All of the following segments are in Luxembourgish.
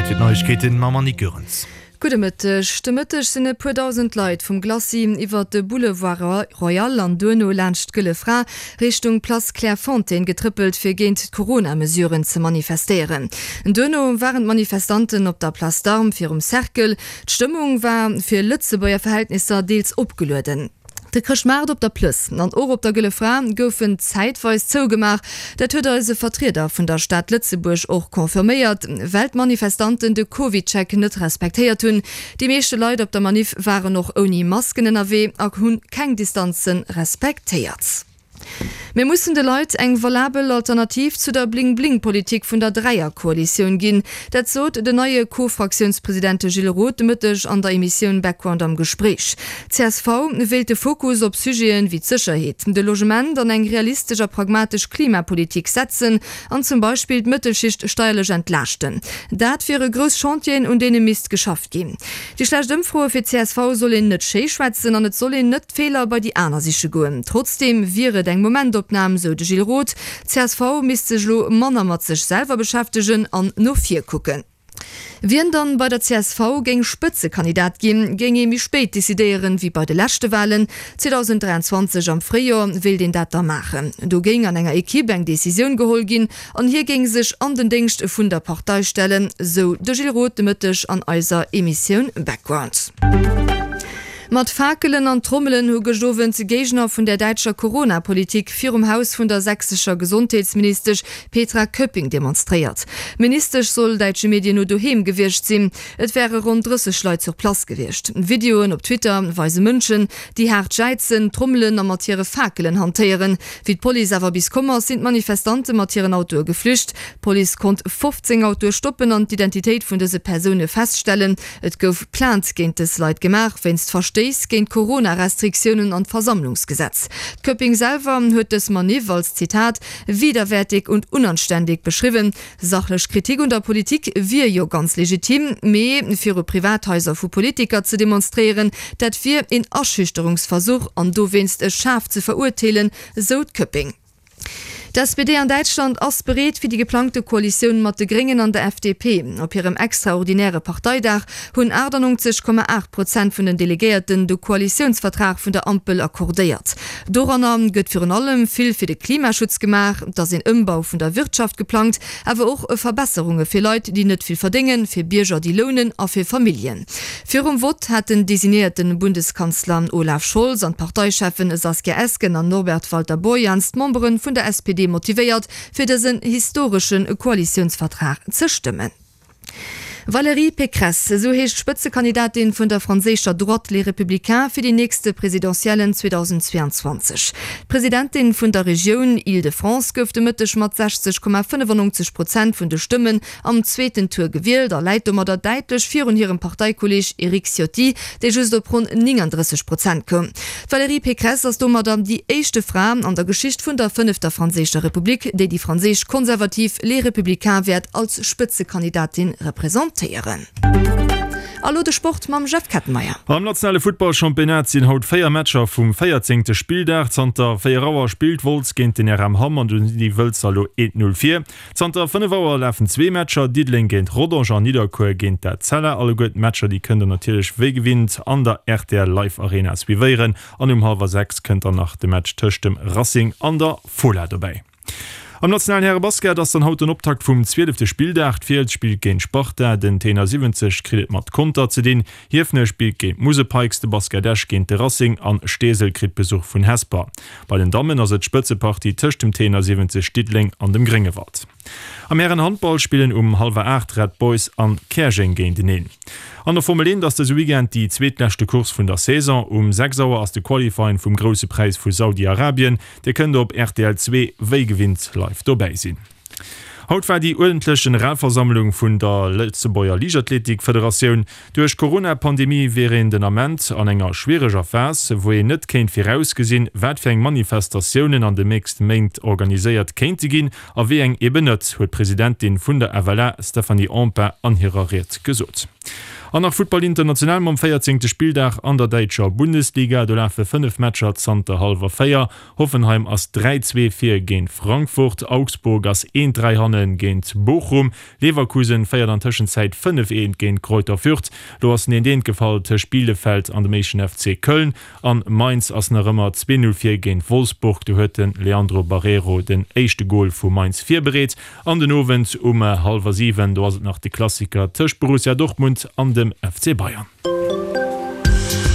Zäit fir d'Neiegkeeten mam Annick Goerens. Gudde Mëtteg. De Mëtteg sinn e puer dausend Leit vum Glacis iwwert de Boulevard Royal an duerno laanscht d'Gëlle Fra Richtung Place Clairefontaine getrëppelt fir géint d'Corona-Mesuren ze manifestéieren. Duerno waren d'Manifestanten op der Place d'Armes virum Cercle. D'Stëmmung war fir Lëtzebuerger Verhältnisser deels opgelueden. De Chrëschtmaart op der Plëss an och op der Gëlle Fra goufen zäitweis zougemaach. Dat huet eis e Vertrieder vun der Stad Lëtzebuerg och confirméiert, well d'Manifestanten de CovidCheck net respektéiert hunn. Déi meeschte Leit op der Maniff waren och ouni Masken ënnerwee a hunn keng Distanze respektéiert. Mir mussen de Leit eng valabel Alternativ zu der Bling-Bling-Politik vun der Dräierkoalitioun ginn. Dat sot den neie Co-Fraktiounspresident Gilles Roth de Mëtteg an der Emissioun Background am Gespréich. Csv wéilt de Fokus op Sujeten wéi d'Sécherheet, de Logement an eng realistesch a pragmatesch Klimapolitik setzen an zum Beispill d'Mëttelschicht steierlech entlaaschten. Dat wiere grouss Chantieren, un deene misst geschafft ginn. Déi schlecht Ëmfroe fir csv soll een net schéi schwätzen an et soll een net d'Feeler bei déi aner siche goen. Trotzdeem wier et eng Momentopnam, sou de Gilles Roth. Csv misst sech elo manner mat sech selwer beschäftegen an no vir kucken. Wien dann bei der csv géing Spëtzekandidat ginn, géing ee méi spéit decidéieren, wéi bei de leschte Walen. 2023 am Fréijoer wéilt een dat da maachen. Do géing an enger Ekipp eng Decisioun geholl ginn an hie géing sech an den Déngscht vun der Partei stellen, sou de Gilles Roth de Mëtteg an eiser Emissioun Background. Mat Fakelen an Trommelen hu gëscht Owend Géigner vun der däitscher Corona-Politik virum Haus vun der sächsescher Gesondheetsministesch Petra Köpping demonstréiert. D'Ministesch soll däitsche Medien no doheem gewiescht sinn. Et wäre ronn 30 Leit sur place gewiescht. Videoen op Twitter weise Mënschen, déi haart jäizen, trommelen a mat hire Fakelen hantéieren. Wéi d'Police awer bis komm ass, sinn d'Manifestante mat hiren Autoe geflücht. D'Police konnt 15 Autoe stoppen an d'Identitéit vun dëse Persoune feststellen. Et gouf Plainte géint dës Leit gemaach wéinst Verstéiss géint d'Corona-Restriktiounen an d'Versammlungsgesetz. D'Köpping selwer huet dës Maniff als, Zitat, widerwärtig und unanständig beschriwwen. Sachlech Kritik un der Politik wier jo ganz legitim, mee viru Privathaiser vu Politiker ze demonstréieren, dat wier een Aschüchterungsversuch an dowéinst schaarf ze verurteelen, sou d'Köpping. D'SPD an Däitschland ass bereet fir déi geplangte Koalitioun mat de Gréngen an der FDP. Op hirem extraordinäre Parteidag hunn 98,8 Prozent vun den Delegéierten de Koalitiounsvertrag vun der Ampel accordéiert. Doranner gëtt virun allem vill fir de Klimaschutz gemaach, et ass een Ëmbau vun der Wirtschaft geplangt, awer och Verbesserunge fir Leit, déi net vill verdéngen, fir Bierger, déi lounen a fir Familljen. Virum Vott hat den designéierte Bundeskanzler Olaf Scholz an d'Parteicheffen Saskia Esken an Norbert Walter-Borjans d'Membere vun der SPD motivéiert, fir dësen historesche Koalitiounsvertrag ze stëmmen. Valérie Pécresse, esou heescht d'Spëtzekandidatin vun der franséischer Droite Les Républicains fir déi nächste Presidentiellen 2022. D'Presidentin vun der Regioun Île-de-France gouf de Mëtteg mat 60,95 Prozent vun de Stëmmen am zweeten Tour gewielt a läit domadder däitlech virun hirem Parteikolleeg Eric Ciotti, dee just op ronn 39 Prozent koum. D'Valérie Pécresse ass domadder déi éischte Fra an der Geschicht vun der fënnefter franséischer Republik, déi déi franséisch Konservativ Les Républicains wäert als Spëtzekandidatin representéieren. A lo de Sport mam Jeff Kettenmeyer. Am nationale Futtballchampionnat sinn haut 4 Matcher vum véierzéngte Spilldag. Zanter 4 Auer spillt Wolz géint den RM Hamm an do sinn déi Wëlzer elo 1, 0 vir. Zanter 5 Auer lafen zwee Matcher, Diddeleng géint Rodange an Nidderkuer géint d'Etzella. Alleguer d'Matcher déi kënnt der natierlech wéi gewinnt an der rtl Live Arena suivéieren. An um hallwer 6 kënnt dann nach de Match tëscht dem Racing an der Fola dobäi. Am nationalen Härebasket ass dann haut den Optakt vum zwielefte Spilldag. D'Fiels spillt géint d'Sparta, den Tenor 70 kritt et mat Conter ze dinn. Hiefenech spillt géint d'Musel Pikes, de Basket Esch géint de Racing an Steesel kritt Besuch vun Hesper. Bei den Dammen ass et d'Spëtzepartie tëscht dem Tenor 70 Diddeleng an dem Gréngewald. Am Hären-Handball spillen um hallwer 8 Red Boys an Käerjeng géinteneen. An der Formel 1 ass dëse Weekend déi zweetleschte Course vun der Saison. Um 6 Auer ass de Qualifying vum Grousse Präis vu Saudi-Arabien. Dir kënnt op rtl 2 wéi gewinnt live dobäi sinn. Haut war déi uerdentlech Generalversammlung vun der Lëtzebuerger Liichtathletikfederatioun. Duerch d'Corona-Pandemie wier een den Ament an enger schwiereger Phas, wou een net kéint virausgesinn, wat fir eng Manifestatiounen an de nächste Méint organiséiert kéinte ginn a wéi eng eben net, huet d'Presidentin vun der FLA Stéphanie Empain an hirer Ried gesot. An nach Futtball international mam 14. Spilldag an der däitscher Bundesliga. Do lafe 5 Matcher zanter hallwer 4. Hoffenheim ass 3, 2 vir géint Frankfurt, Augsburg ass 1, 3 hanne géint Bochum, Leverkusen féiert an Tëschenzäit 5, 1 géint Greuther Fürth. Lo ass en 1, 1 gefall tëscht Bielefeld an dem éischten FC Köln an Mainz ass nach ëmmer 2, 0 vir géint Wolfsburg. Do huet de Leandro Barreiro den éischte Gol vu Mainz virbereet. An den Owend um hallwer 7, do ass et nach de Klassiker tëscht Borussia Dortmund an dem FC Bayern.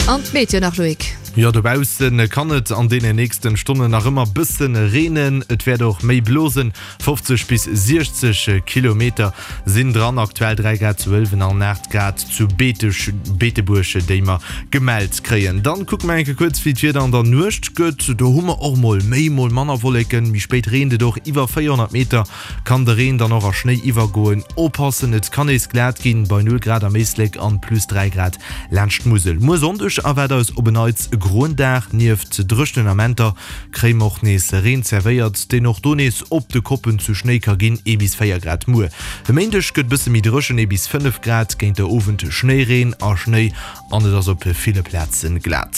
An d'Meteo nach, Loïc. Jo, dobaussen kann et an deene nächsten Stonnen nach ëmmer bëssen reenen. Et wäert och méi blosen, 50 bis 60 Kilometer sinn dran. Aktuell 3 Grad zu Ëlwen an 8 Grad zu Beeteg, Beetebuerg, déi mer gemellt kréien. Dann kucke mer eng Kéier kuerz, wéi d'Wieder an der Nuecht gëtt. Do hu mer och mol méi, mol manner Wolleken. Méi spéit reent et och, iwwer 400 Meter kann de Reen dann och a Schnéi iwwergoen. Oppassen, et kann nees glat ginn, bei 0 Grad am Éislek an plus 3 Grad laanscht d'Musel. Muer Sonndeg erwaart eis op en Neits e groen Dag. Nieft dréchenen Amenter kréie mer och nees Reen zerwéiert, deen och do nees op de Koppen zu Schnéi ka ginn, ee bis 4 Grad muer. E Méindeg gëtt bësse méi dréchen, ee bis 5 Grad, géint der Owend Schnéireen a Schnéi an et ass op ville Plaze glat.